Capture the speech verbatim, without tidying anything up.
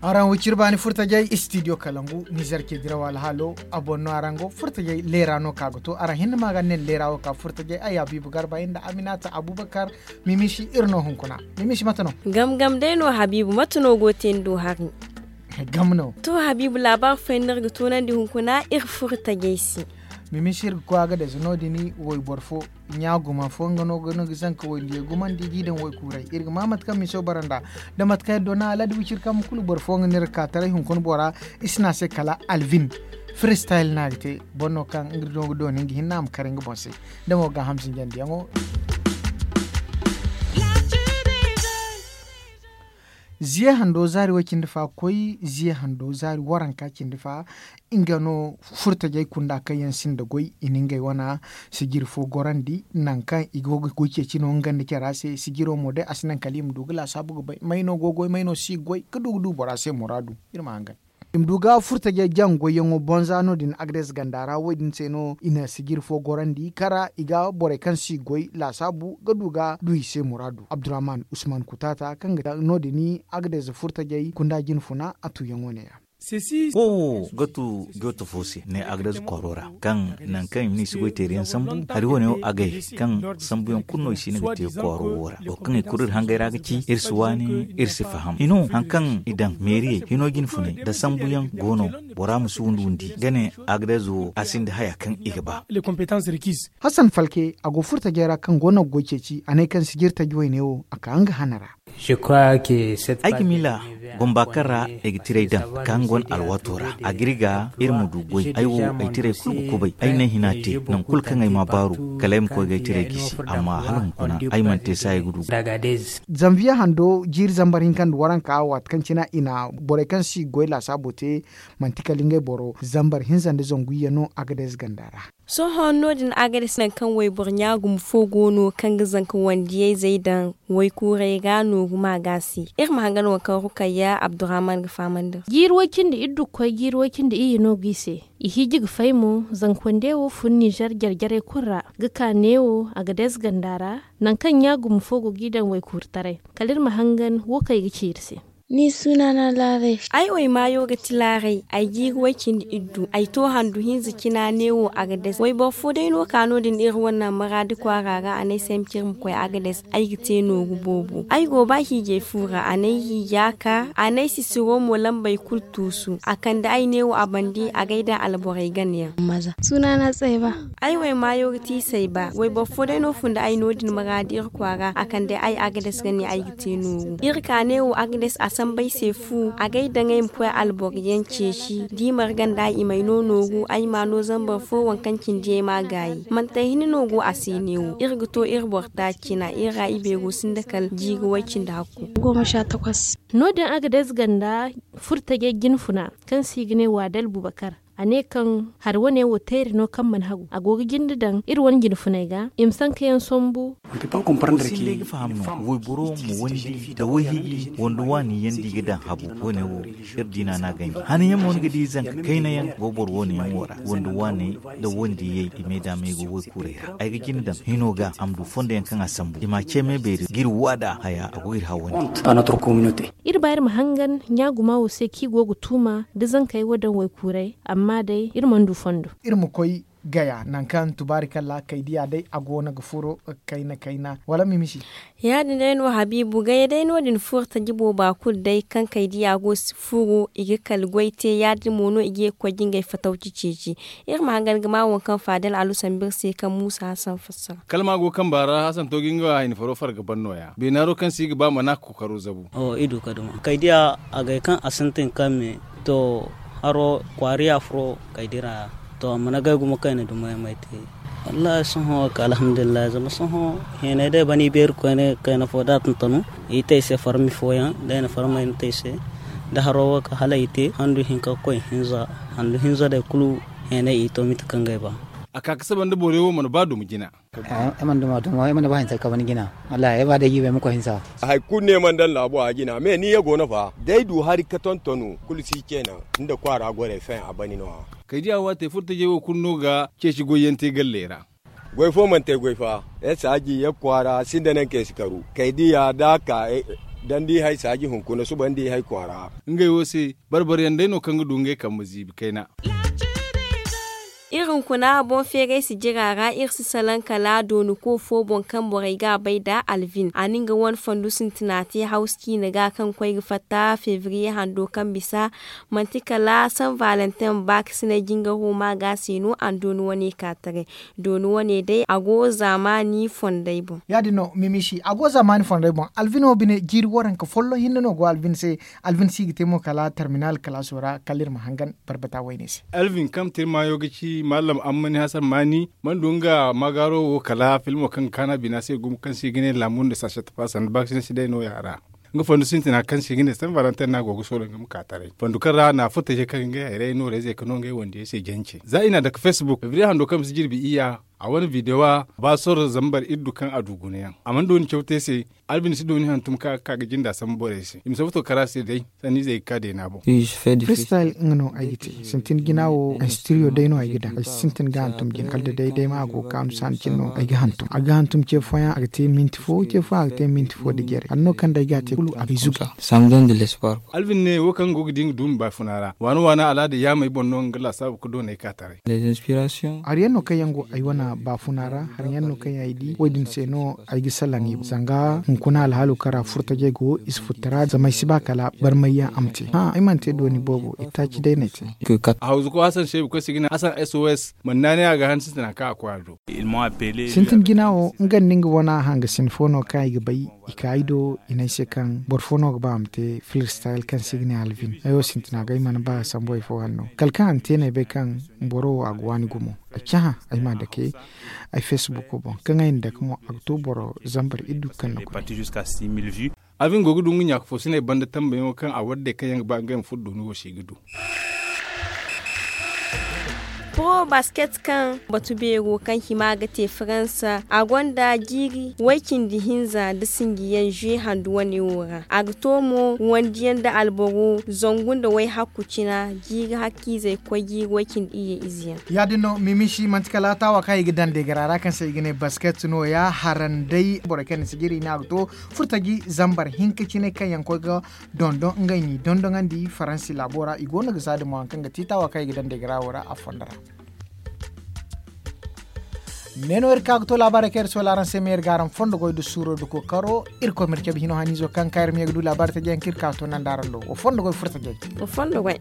Araŋ wicir baani furtajey istidiyo kalangu nizer ke diraw alhaalo. A boŋ no araŋ go furtajey leera no ka ga to araŋ hinne ma ga nen leera wo ka furtajey ay habiibu garba inda aminata abubakar. Mimishi iri no hunkuna. Mimishi mate no? Gam gam day no habiibu mate no go te ni do hari? Gam no. To habiibu laabaari fooyaŋ no iri ga toonandi hunkuna iri furtajey se. Mimishi iri ga koy a ga dayze no- din wayboro fo ɲa guma fo nga no ga no ga zanka waydiyo gumandi ga i daŋ waykuuray iri ga ma mate kaŋ miso bara nd'a. Da mate kaŋ iri do na aladi wiciri kaŋ ma kulu boro fo nga no iri ga ka taray hunkuna bora. I si ne a se kala alvin firi stayil no a ga te. Boro no kaŋ nga no ga dooni nga hinne a ma kare nga boŋ se. Da mo gaaham zinjandiyaŋo. Ziya hando zaari way cindi fa koy ziya hando zaari waranka cindi fa. Nga no furtajey kunda kaŋ yaŋ sinda goy i na ngey wana sijiri fo gorandi nangu kaŋ i go ga goy ceeci no nga nda care se sijiro mo day a si naŋ kala i ma du ga laasaabu ga bay may no go goy may no si ga goy ga du ga du bora se muraadu. Iri ma hangan i ma du ga furtajey jaŋ goyyaŋo bonza no- din agades ganda ra wo- din se no i na sijiri fo gorandi kara i ga borey kaŋ si goy laasaabu ga du ga du i se muraadu abdurrahman usman kutaata kaŋ ga no- din agades furtajey kunda jinfuna a tuuyaŋo ne- ya. Wo wo ga tu jooto fo se ne agades kwaaro ra kaŋ nangu kaŋ i ma ne i si goy teeriyaŋ sambu hari wane wo agay kaŋ sambuyaŋ kulu no i si ne ga te kwaaro wo ra wo kaŋ i kulu iri hangay ra ga ci iri si waani iri si faham hino hari kaŋ i daŋ meeriyey hino jinfunay nda sambuyaŋ go no. Bora ma si windi windi ga ne agades wo a sinda haya kaŋ i ga ba. Hasan falke a go furtajey ra kaŋ go no ga goy ceeci a ne kaŋ sijiri taji wayne wo a ka nga hana ra. Ay ga miila bumba kaŋ ra ay ga tiray daŋ ka nga wane alwaato ra a ga iri ga iri ma du goy ay wo ay tiray kulu ga kubay ay ne hina te nangu kulu kaŋ ay ma baaru kala ay ma koy ga ay tiray gisi amma hala hunkuna ay mana te saayi ga du. Zanviye hando jiiri zambar hinka nda waranka waati kaŋ cine i na borey kaŋ si goy laasaabo te manti kala ngey boro zambar hinza nda zangu iyye no agades ganda ra. Sohõ no- din agades nangu kaŋ wayboro ɲaagum fo go no kaŋ ga zanka wandiyayzey daŋ waykuurey ga nooru ma ga se iri ma hangan waŋ kaŋ rukayya abdurrahman ga fahamandi iri se. Jiiri way cindi iddu ga koy jiiri way cindi iyye no go i se. I hiiji ga fay mo zanka wande wo fun nizer jare jarey kulu ra ga ka neewo agades ganda ra. Nangu kaŋ ɲaagum fo go g'i daŋ waykuuri taray kala iri ma hangan wo kaŋ i ga ci iri se. Ni suna na laaray. Ay way maayo ga ti laaray ay jiiri way cindi iddu ay to handu hinza cina neewo agades wayboro fo day no ka no- din iri wane maraadi kwaara ra a ne ay se ay ma ciri ma koy agades. Ay ga te nooru boobo ay go ba hiijay fu ra a ne ay hiija ka a ne ay sisiro mo lambey kulu tuusu a kande ay neewo a bandi a ga ay daŋ alborey ganayaŋ. Suna na tsayba. Ay way maayo ga ti sayba wayboro fo day no funda ay no- din maraadi iri kwaara a kande ay agades ga ne ay ga te nooru iri ka neewo agades a sambu ay se fu a ga ay daŋ ay ma koy alboro yaŋ ceeci da i marga nda i m'ay no nooru ay m'a no zambar fo waŋ kaŋ cindi ay m'a gaayi manti ay hinne no go a se neewo iri ga to iri boro taaci cina iri ra i beero sinda kala jiiri way cindi hakku. No- din agades ganda furtajey jinfuna kaŋ se i ga ne waadal bubakar a ne kaŋ hari wane wo teeri no kaŋ mana hagu a go ga jinde daŋ iri wane jinfuney ga i ma sankayaŋ sambu. Wayboro ma wandi nda wayhiiji wanda waani yaŋ da i ga daŋ habu wane wo iri diina no a ganji hanayaŋ mo ni ga di zanka kayna yaŋ go boro wane yaŋ wo ra wanda waaney nda wandiyey i me daamey go waykuurey ra ay ga jinde daŋ hino ga a ma du fondo yaŋ kaŋ a sambu i m'a ce me beeri ga iri waada haya a go ga iri hawandi. Iri ba iri ma hangan ɲaaguma wo se kaŋ i go ga tuuma da zankey wo daŋ waykuurey amma day iri mana du fondo. Iri ma koy gaya nangu kaŋ tubaari kalla kay diya day a go no ga furo kayna kayna wala mimisi. Ya- din day no habiibu gaya day no- din furo taji booba kulu day kaŋ kay diya go furo i ga kala goy te ya- din mo no i ga ye ga koy ga ngey fatawci ceeci. Iri ma hangan ga ma waŋ kaŋ faadal alu sambu iri se kaŋ muusa hasan fassara. Kalma go kamba ra hasan to ga nga hayni faro farga ban nooya beena haro kaŋ se i ga ba mana kookaro zabu. Kay diya a ga ay duma kay diya a ga ay kaŋ a sintin kaŋ me to haro kwaari ya furo kay dira. To a mana ga ay gumo kaŋ ay na duma ay ma ay te. Wallahi sohõ wo kay alhamdulillahi zama sohõ heenay day bana i beeri koyne kayna fo da a tuntanu i te ay se farmi fooyaŋ da ay na farmey na te ay se da haro wo kay hala ay te handu hinka ga koy hinza handu hinza day kulu heenay i to mate kaŋ ga ay ba. A ka ga saba nda borey wo mana ba duma jina. Ay mana duma duma ay mana ba hinsa ka bani jina. Wallahi ay ba day jiiba ay ma koy hinsa. Hari kulu no ay mana daŋ laabo a jina me ni ye go no fa da ay du hari ka tontonu kulu si ce naŋ. Nda kwaara gorey feŋ a bani no- ya. Kay di a waate furtajey wo kulu no ga ceeci goyyaŋ te galley ra. Goy fo mana te goy fa. Ay saaji ye kwaara sinda naŋ kaŋ si karu kay di ya da a ka. Dandi hay saaji hunkuna suba nda i hay kwaara. Ngey wo se barbariyaŋ day no kaŋ ga du ngey kambe ziibi kayna. Iri hunkuna boŋ feeray sijira ra iri si salaŋ kala dooni ko fo boŋ kaŋ borey ga a bay nda alvin a na nga wane fondo sintina te hawsu ciine ga kaŋ koy ga fatta febriye hando kaŋ bisa. Manti kala san valentin baakasinay jingaro ma ga se no a na dooni wane ka taray. Dooni wane day a go zaamaani fondey boŋ. Ya- din no mimisi a go zaamaani fondey boŋ alvin wo bine jiiri waranka folloŋ hinne no go alvin se. Alvin se i ga te mo kala terminal kalaaso ra kala iri ma hangan barbata wayne se. Alvin kaŋ tirmaayo ga ci mallam ammani hasan maani mana du nga magaaro wo kala filmo kaŋ ga kaanu a bina se gumo kaŋ se i ga ne laamu nda saasat fa sanda baakasinay se day no- ya a ra. Nga fondo sintina kaŋ se i ga ne san valentin no a go ga soolay nga ma ka taray fondo kaŋ ra na furtajey kaŋ ga ngey hayray no reezey ga no ngey wandiyey se jance za i na a dake facebook febriye hando kaŋ bisa jirbi iyya. A wane videwo a ba sorro zambar iddu kaŋ a du gunayaŋ a mana dooni caw te se. Alvin si dooni hantum kaŋ a ga ka ga jinda sambu borey se i ma si futo kara se day. Sanniizey ga ka deena boŋ. Freestyle nga no ay ga te sintin jina wo instiriyo day no ay ga daŋ ay si sintin ga hantum jina kala da day day ma a go ga kaanu saani cine no ay ga hantum a ga hantum ce fooyaŋ a ga te minti fo ce fooyaŋ a ga te minti fo da jare hari no kaŋ day ga a te kulu a ga ay zuga. Alvin ne wo kaŋ go ga di nga duumi baafuna ra waana waana alaada yaamey boŋ no nga laasaabu ga doonay ka taray. Hari yaŋ no kaŋ yaŋ go ay wane baafuna ra hari yaŋ no kaŋ yaŋ ay di wo- din se no ay ga salaŋ i boŋ zanga hunkuna alhaalo kaŋ ra furtajey go i si furta ra zama ay si ba kala barmay yaŋ a ma te hã ay mana te dooni boobo itaaci day no ay te. A hawzuko hasan seebu kaŋ se i ga ne hasan sos mana naanay a ga han sintina kaŋ a koy a do. Sintin jina wo nga nda nga wane hangasin fo no kaŋ ay ga bay i ka ay do i ne ay se kaŋ boro fo no ga ba a ma te filistayel kaŋ se i ga ne alvin ay wo sintina ga ay mana ba sambu ay fo hanno kala kaŋ a na te no ay bay kaŋ boro wo a ga waani gumo. Ay cahã ay ma a dake ay facebook boŋ kaŋ ay na dake mo a ga to boro zambar iddu kaŋ na koy. Alvin go ga du nga ɲaaka fo sinay banda tambayaŋo kaŋ a wadday kaŋ yaŋ ga ba ngey ma furo dooni wo se i ga du. Pro basket kaŋ batu beero kaŋ hima ga te faransa a gonda jiiri way-cindi hinza nda sinjiyaŋ zue handu wane wo ra a ga to mo wandiyaŋ nda alboro zangu nda way-hakku cina jiiri hakkiizey koy jiiri way-cindi iyye izeyaŋ. Ya- din no mimisi manti kala taawa kaŋ i ga daŋ deegara ra kaŋ se i ga ne basket no- ya haranday borey kaŋ ni si jiri ne a ga to furtaji zambar hinka cine kaŋ yaŋ koy ga dondon ngey n'i dondoŋandi faransi laabo ra i go no ga za damo hari kaŋ ga ti taawa kaŋ i ga daŋ deegara wo ra a fondo ra. Ne no iri ka ga to laabaarey kaŋ iri soola araŋ se ma iri ga araŋ fondo goy nda suuro nda kookaro. Iri koy ma iri cabe hino haniizo kaŋ ka iri ma ye ga du laabaarey taji yaŋ kaŋ iri ka ga to nanda araŋ do wa fondo goy furo tajey. Wa fondo goy.